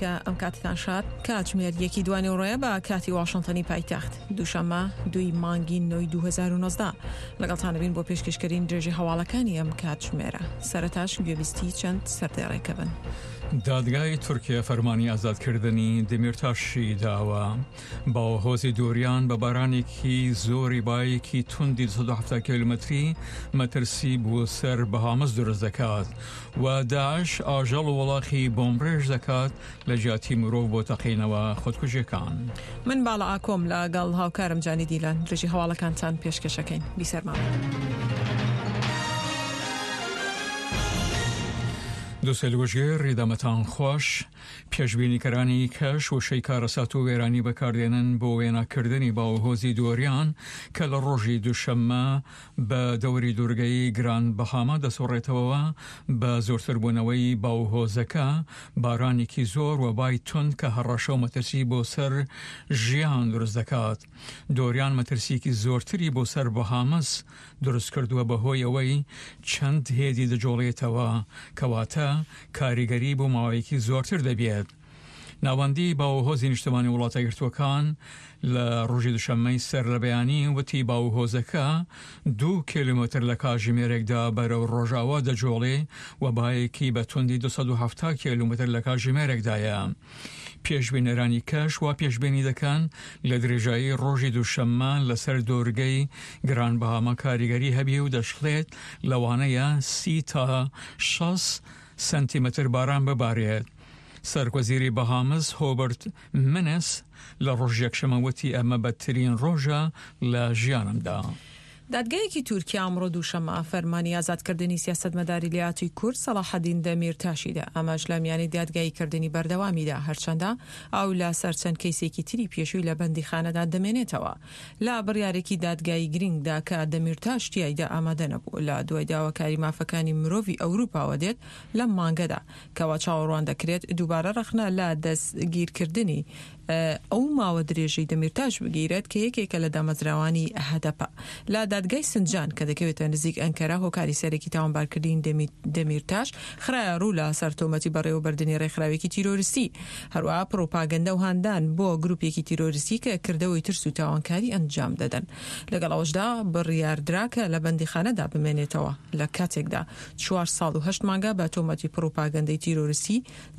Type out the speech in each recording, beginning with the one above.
کە ئەم کاتتان شاد. کاتژمێر یەکی دوانیوەڕۆیە بە کاتی واشنتۆنی پایتەخت، دووشەممە دووی مانگی نۆی 2019. لەگەڵتان دەبین بۆ پێشکەشکردنی درێژەی هەواڵەکانی ئەم کاتژمێرە. سەرەتاش گوێبیستی چەند سەردێڕێکە بن. دادگای تورکیا فەرمانی ئازادکردنی دەمیرتاشی داوە. باوهۆزی دوریان بە بارانێکی زۆری بایەکی توندی 270 کیلومتری مەترسی بۆ سەر بەهامس دروست دەکات و داعش ئاژەڵ و وڵاخی بۆمبڕێژ دەکات لە جیاتی مرۆڤ بۆ تەقینەوە خودکوژیەکان. من باڵا ئاکۆم لە گەڵ هاوکارم جانی دیلان درێژی هەواڵەکانتان پێشکەشەکەین. بیسەرمان بن. دووسێ لوژگێر ڕیدەمەتان خۆش. پێشبینیکەرانی کەش وشەی کارەسات و وێرانی بەکاردێنن بۆ وێناکردنی باوهۆزی دۆریان کە لە ڕۆژی دووشەممە بە دەوری دوورگەی گراند بەهاما دەسوڕێتەوە بە زۆرتربوونەوەی باوهۆزەکە بارانێکی زۆر و بای توند کە هەڕەشە و مەترسی بۆ سەر ژیان دروست دەکات. دۆریان مەترسییەکی زۆرتری بۆ سەر بەهامس دروست کردووە بەهۆی ئەوەی چەند هێدی دەجوڵێتەوە کەواتە کاریگەری بۆ ماوەیەکی زۆرتر دەبێت. ناوەندی باوهۆزی نیشتمانی وڵاتە یەکگرتووەکان لە ڕۆژی دوشەممەی سەر لە بەیانی وتی باوهۆزەکە دوو کیلۆمەتر لە کاژیمێرێکدا بەرەو ڕۆژاوا دەجۆڵێ و بایەکی بە توندی 270 کیلۆمەتر لە کاژیمێرێکدایە. پێشبینەرانی کەش وا پێشبینی دەکەن لە درێژایی ڕۆژی دووشەممە لەسەر دۆرگەی گران بەهاما کاریگەری هەبێ و دەشڵێت لەوانەیە 30 تا 60 سەنتیمەتر باران ببارێت. سەرۆکوەزیری بەهامس هۆبەرت منس لە ڕۆژی یەکشەممە وتی ئەمە بەدترین ڕۆژە لە ژیانمدا. دادگایەکی تورکیا ئەمڕۆ دووشەممە فەرمانی ئازادکردنی سیاسەتمەداری لێهاتووی کورد سەڵاحەدین دەمیرتاشی دا، ئەمەش لە میانی دادگاییکردنی بەردەوامیدا، هەرچەندە ئەو لە سەر چەند کەیسێکی تری پێشووی لە بەندیخانەدا دەمێنێتەوە. لە بڕیارێکی دادگایی گرنگدا کە دەمیرتاش تیایدا ئامادە نەبوو، لە دوای داواکاری مافەکانی مرۆڤی ئەوروپاوە دێت لەم مانگەدا، کەوا چاوەڕوان دەکرێت دووبارە ڕەخنە لە دەستگیرکردنی ئەو ماوە درێژەی دەمیرتاش بگیرێت کە یەکێکە لە دامەزراوانی هەدەپە. لە دادگای سنجان کە دەکەوێتە نزیک ئەنکەرە هۆکاری سەرەکی تاوانبارکردنی دەمیرتاش خرایە ڕوو لە سەر تۆمەتی بەڕێوەبردنی ڕێکخراوێکی تیرۆریستی هەروەها پڕوپاگەندە و هاندان بۆ گروپێکی تیرۆریستی کە کردەوەی ترس و تاوانکاری ئەنجام دەدەن. لەگەڵ ئەوەشدا بڕیاردرا کە لە بەندیخانەدا بمێنێتەوە لە کاتێکدا چوار ساڵ و هەشت مانگە بە تۆمەتی پڕوپاگەندەی تیرۆریستی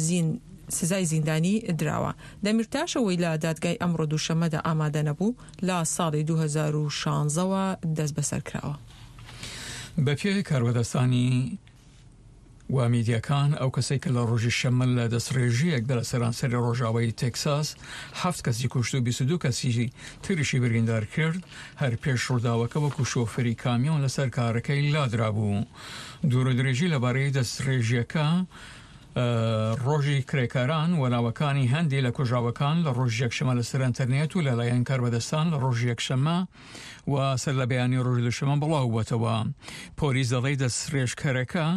زین سزای زیندانی دراوە. دەمیرتاش ئەوەی لە دادگای ئەمڕۆ دووشەممەدا ئامادە نەبوو، لە ساڵی 2016 وە دەستبەسەر کراوە. بەپێی کاربەدەستانی و میدیاکان ئەو کەسەی کە لە ڕۆژی شەممە لە دەستڕێژییەکدا لە سەرانسەری ڕۆژاوای تێکساس حەفت کەسی کوشت و 22 کەسی تریشی بریندار کرد، هەر پێش ڕووداوەکە وەکو شۆفێری کامیۆن لەسەر کارەکەی لادرابوو. دوورودرێژی لەبارەی دەستڕێژییەکە ڕۆژی کرێکاران و ناوەکانی هەندێ لە کوژراوەکان لە ڕۆژی یەکشەمە لەسەر ئەنتەرنێت و لەلایەن کاربەدەستان لە ڕۆژی یەکشەمە و سەر لە بەیانی ڕۆژی دووشەمە بڵاو بووەتەوە. پۆلیس دەڵێ دەستڕێژکەرەکە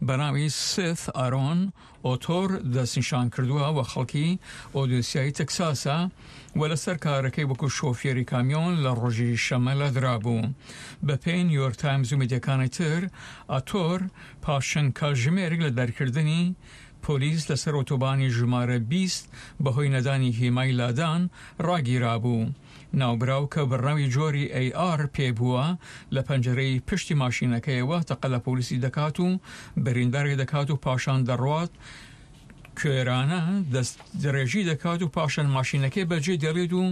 بە ناوی سێث ئارۆن ئۆتۆر دەستنیشان کردووە و خەڵکی ئۆدیسیای تەکساسە و لەسەر کارەکەی وەکو شۆفێری کامیۆن لە ڕۆژی شەمە لادرابوو. بەپێی نیویۆرک تایمز و میدیاکانی تر ئاتۆر پاش چەند کاتژمێرێک لە دەرکردنی پۆلیس لەسەر ئۆتۆبانی ژمارە 20 بەهۆی نەدانی هێمای لادان ڕاگیرابوو. ناوبراو کە بڕنەوی جۆری AR پێ بووە، لە پەنجەرەی پشتی ماشینەکەیەوە تەقە لە پۆلیسی دەکات و برینداری دەکات و پاشان دەڕوات کوێرانە دەستدرێژی دەکات و پاشان ماشینەکەی بەجێ دێڵێت و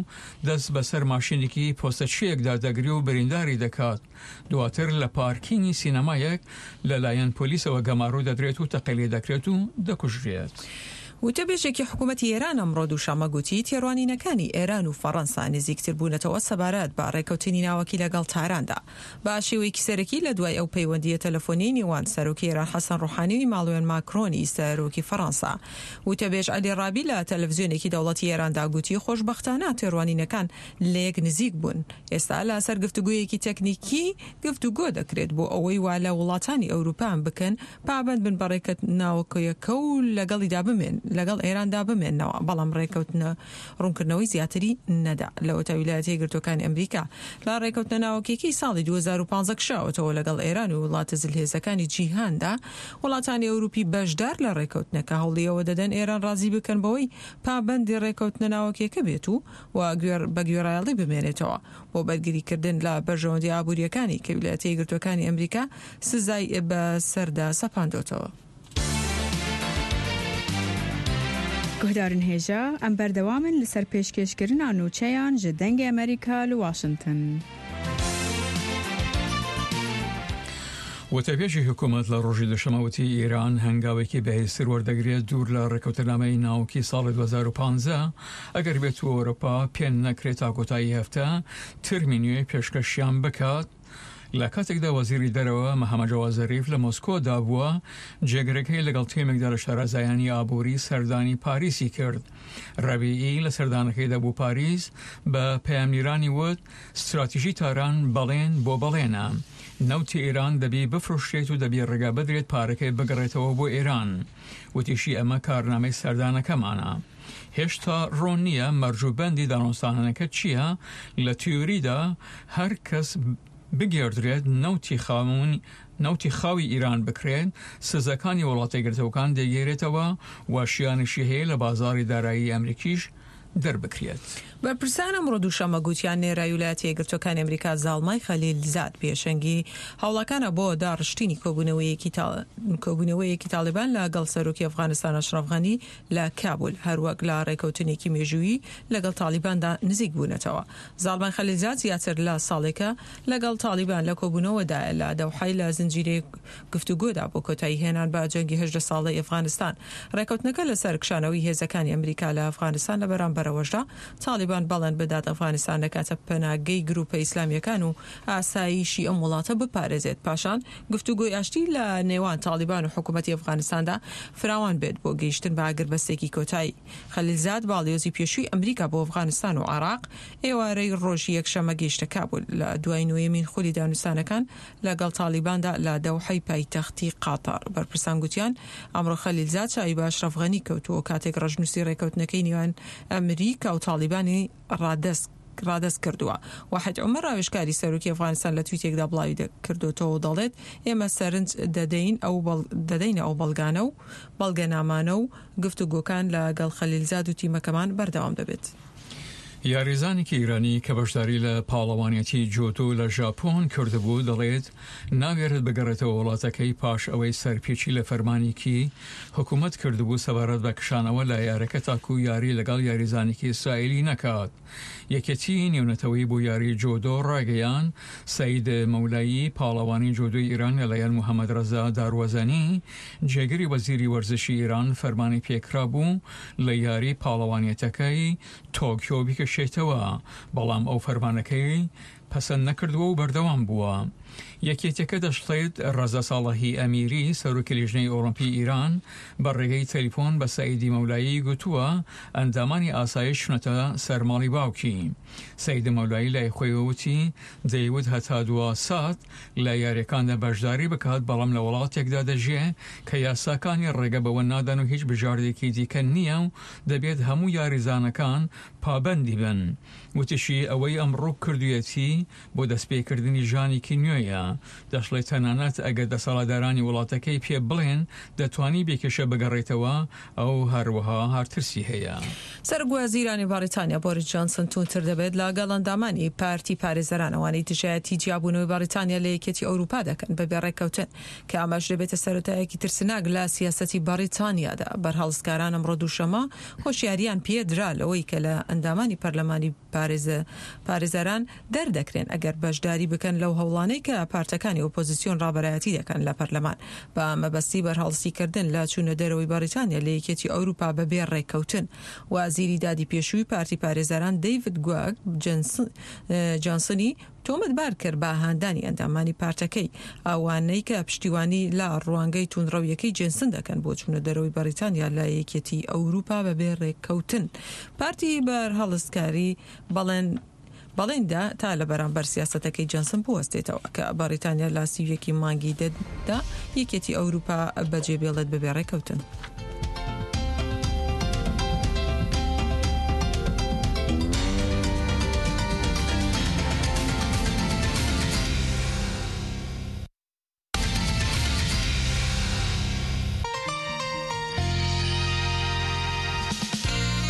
دەست بەسەر ماشینێکی پۆستەچییەکدا دەگرێ و برینداری دەکات. دواتر لە پارکینگی سینەمایەک لەلایەن پۆلیسەوە گەمارۆ دەدرێت و تەقەی لێدەکرێت و دەکوژرێت. وتەبێژێکی حکومەتی ئێران ئەمڕۆ دووشەممە گوتی، تێڕوانینەکانی ئێران و فەڕەنسا نزیکتر بوونەتەوە سەبارەت بە ڕێککەوتنی ناوەکی لەگەڵ تاراندا بە شێوەیەکی سەرەکی لە دوای ئەو پەیوەندییە تەلەفۆنیەی نێوان سەرۆکی ئێران حەسەن ڕۆحانی و ئیماڵوێن ماکرۆنی سەرۆکی فەڕەنسا. وتەبێژ عەلی ڕابی لە تەلەفزیۆنێکی دەوڵەتی ئێراندا گوتی، خۆشبەختانە تێڕوانینەکان لەیەک نزیک بوون. ئێستا لەسەر گفتوگۆیەکی تەکنیکی گفتوگۆ دەکرێت بۆ ئەوەی وا لە وڵاتانی ئەوروپا بکەن پابەند بن بە ڕێککەوتناوەکەیەکە و لەگەڵیدا بمێن. لەگەڵ ئێراندا بمێننەوە، بەڵام ڕێکەوتنە ڕوونکردنەوەی زیاتری نەدا. لەوەتا ویلایەتە یەکگرتووەکانی ئەمریکا لە ڕێکەوتنە ناوەکییەکەی ساڵی 2015 کشاوەتەوە لەگەڵ ئێران و وڵاتە زلهێزەکانی جیهاندا، وڵاتانی ئەوروپی بەشدار لە ڕێکەوتنەکە هەوڵی ئەوە دەدەن ئێران ڕازی بکەن بەوەی پابەندی ڕێکەوتنە ناوەکییەکە بێت و و بە گوێڕایەڵی بمێنێتەوە بۆ بەرگریکردن لە بەرژەوەندییە ئابوورییەکانی کە ویلایەتە یەکگرتووەکانی ئەمریکا سزای بەسەردا سەپاندۆتەوە. Guhdarên hêja, em berdewam in li ser pêşkêşkirina nûçeyan ji Dengê Amerîka li Washington. وتەبێژی حکوومەت لە ڕۆژی دوشەمە وتی ئێران هەنگاوێکی بەهێزتر وەردەگرێت دوور لە ڕێککەوتنامەی ناوکی ساڵی 2015 ئەگەر بێت و ئەوروپا پێ نەکرێت تا کۆتایی هەفتە ترمی نوێ پێشکەشیان بکات. لە کاتێکدا وەزیری دەرەوە محەمەد جەواد زەریف لە مۆسکۆ دا بووە، جێگرەکەی لەگەڵ تیمێکدا لە شارەزایانی ئابووری سەردانی پاریسی کرد. رەبیعی لە سەردانەکەیدا بۆ پاریس بە پەیامنیرانی وت، ستراتیژی تاران بەڵێن بۆ بەڵێنە. نەوتی ئێران دەبی بفرۆشرێت و دەبی ڕێگا بدرێت پارەکەی بگەڕێتەوە بۆ ئێران. وتیشی ئەمە کارنامەی سەردانەکەمانە. هێشتا ڕوون نییە مەرج و بەندی دانوستانەکە چییە، لە تیۆریدا هەر کەس بگێڕدرێت نەوتی نەوتی خاوی ئیران بکرێت، سزاکانی وڵاتە یەکگرتووەکان دەیگێرێتەوە و شیانیشی هەیە لە بازاڕی دارایی ئەمریکیش دەربکرێت. بەرپرسان ئەمڕۆ دووشەممە گوتیان نێرای ویلایەتە یەکگرتووەکانی ئەمریکا زاڵمای خەلیل زاد پێشەنگی هەوڵەکانە بۆ داڕشتینی کۆبوونەوەیەکی تاڵیبان لە گەڵ سەرۆکی ئەفغانستان ئەشرەف غەنی لە کابول، هەروەک لە ڕێکەوتنێکی مێژوویی لەگەڵ تاڵیباندا نزیک بوونەتەوە. زاڵمای خەلیلزاد زیاتر لە ساڵێکە لەگەڵ تاڵیبان لە کۆبوونەوەدایە لە دەوحەی لە زنجیرەیەک گفتوگۆدا بۆ کۆتایی هێنان بە جەنگی 18 ساڵەی ئەفغانستان. ڕێکەوتنەکە لەسەر کشانەوەی هێزەکانی ئەمریکا لە ئەفغانستان لە بەرامبەرەوەشدا تاڵیبان بەڵێن بدات ئەفغانستان دەکاتە پەناگەی گروپە ئیسلامییەکان و ئاسایشی ئەم وڵاتە بپارێزێت. پاشان گفتوگۆی ئاشتی لە نێوان تاڵیبان و حکوومەتی ئەفغانستاندا فراوان بێت بۆ گەیشتن بە ئاگربەستێکی کۆتایی. خەلیلزاد، باڵیۆزی پێشووی ئەمریکا بۆ ئەفغانستان و عێراق، ئێوارەی ڕۆژی یەکشەممە گەیشتە کابول لە دوای نۆیەمین خولی دانوستانەکان لەگەڵ تاڵیباندا لە دەوحەی پایتەختی قەتەر. بەرپرسان گوتیان ئەمڕۆ خەلیلزاد چاوی بە ئەشرەف غەنی کەوتووە کاتێک ڕەشنووسی ڕێککەوتنەکەی نێوان ئەمریکا و تاڵیبانی ڕادەست ڕادەست کردووە. واحد عومەر ڕاوێژکاری سەرۆکی ئەفغانستان لە تویتێکدا بڵاوی کردۆتەوە و دەڵێت، ئێمە سەرنج دەدەین ئەو دەدەینە ئەو بەڵگانە و بەڵگەنامانە و گفتوگۆکان لە گەڵ خەلیلزاد و تیمەکەمان بەردەوام دەبێت. یاریزانێکی ئیرانی کە بەشداری لە پاڵەوانێتی جۆدۆ لە ژاپۆن کردبوو دەڵێت ناوێرێت بگەڕێتەوە وڵاتەکەی پاش ئەوەی سەرپێچی لە فەرمانێکی حکومەت کردبوو سەبارەت بە کشانەوە لە یارەکە تاکو یاری لەگەڵ یاریزانێکی ئیسرائیلی نەکات. یەکێتیی نێونەتەوەیی بۆ یاری جۆدۆ ڕایگەیاند، سەید مەولایی پاڵەوانی جۆدۆی ئیران لەلایەن محەمەد ڕەزا داروەزەنی جێگری وەزیری وەرزشی ئیران فەرمانی پێکرابوو لە یاری پاڵەوانێتەکەی تۆکیۆ بکشێتەوە، بەڵام ئەو فەرمانەکەی پەسەند نەکردووە و بەردەوام بووە. یەکێتیەکە دەشڵێت، ڕەزا ساڵحی ئەمیری، سەرۆکی لیژنەی ئۆڵۆمپی ئیران، بە ڕێگەی تەلیفۆن بە سەعیدی مەولایی گوتووە، ئەندامانی ئاسایش چوونەتە سەر ماڵی باوکی. سەعید مەولایی لای خۆیەوە وتی، دەیوت هەتا دوا سات لە یارییەکاندا بەشداری بکات، بەڵام لە وڵاتێکدا دەژیێ کە یاساکانی ڕێگە بەوە نادەن و هیچ بژاردەیەکی دیکە نییە و دەبێت هەموو یاریزانەکان پابەندی بن. وتیشی، ئەوەی ئەمڕۆ کردوویەتی بۆ دەستپێکردنی ژانێکی نوێیە. دەشڵێت تەنانەت ئەگەر دەسەڵاتدارانی وڵاتەکەی پێ بڵێن دەتوانی بێ کێشە بگەڕێیتەوە، ئەو هەروەها هەر ترسی هەیە. سەرۆکوەزیرانی بەڕیتانیا بۆریس جۆنسن تووندتر دەبێت لەگەڵ ئەندامانی پارتی پارێزەران ئەوانەی دژایەتی جیابوونەوەی بەڕیتانیا لە یەکێتی ئەوروپا دەکەن بەبێ ڕێککەوتن کە ئەمەش دەبێتە سەرەتایەکی ترسناک لە سیاسەتی بەڕیتانیادا. بەرهەڵستکاران ئەمڕۆ دووشەممە هۆشیارییان پێدرا لەوەی کە لە ئەندامانی پەرلەمانی پارێزەران دەردەکرێن ئەگەر بەشداری بکەن لەو هەوڵانەی کە پارتەکانی ئۆپۆزیسیۆن ڕابەرایەتی دەکەن لە پەرلەمان بە مەبەستی بەرهەڵستیکردن لە چوونە دەرەوەی بەڕیتانیا لە یەکێتی ئەوروپا بەبێ ڕێککەوتن. وەزیری دادی پێشووی پارتی پارێزەران دەیڤد گواگ جانسنی تۆمەتبار کرد بە هاندانی ئەندامانی پارتەکەی، ئەوانەی کە پشتیوانی لە ڕوانگەی توندڕەوییەکەی جێنسن دەکەن بۆ چوونە دەرەوەی بەڕیتانیا لە یەکێتی ئەوروپا بەبێ ڕێککەوتن. پارتی بەرهەڵستکاری بەڵێن بەڵێن دا تا لە بەرامبەر سیاسەتەکەی جێنسن بوەستێتەوە کە بەڕیتانیا لە 31 ی مانگی دە دا یەکێتی ئەوروپا بەجێبێڵێت بەبێ ڕێککەوتن.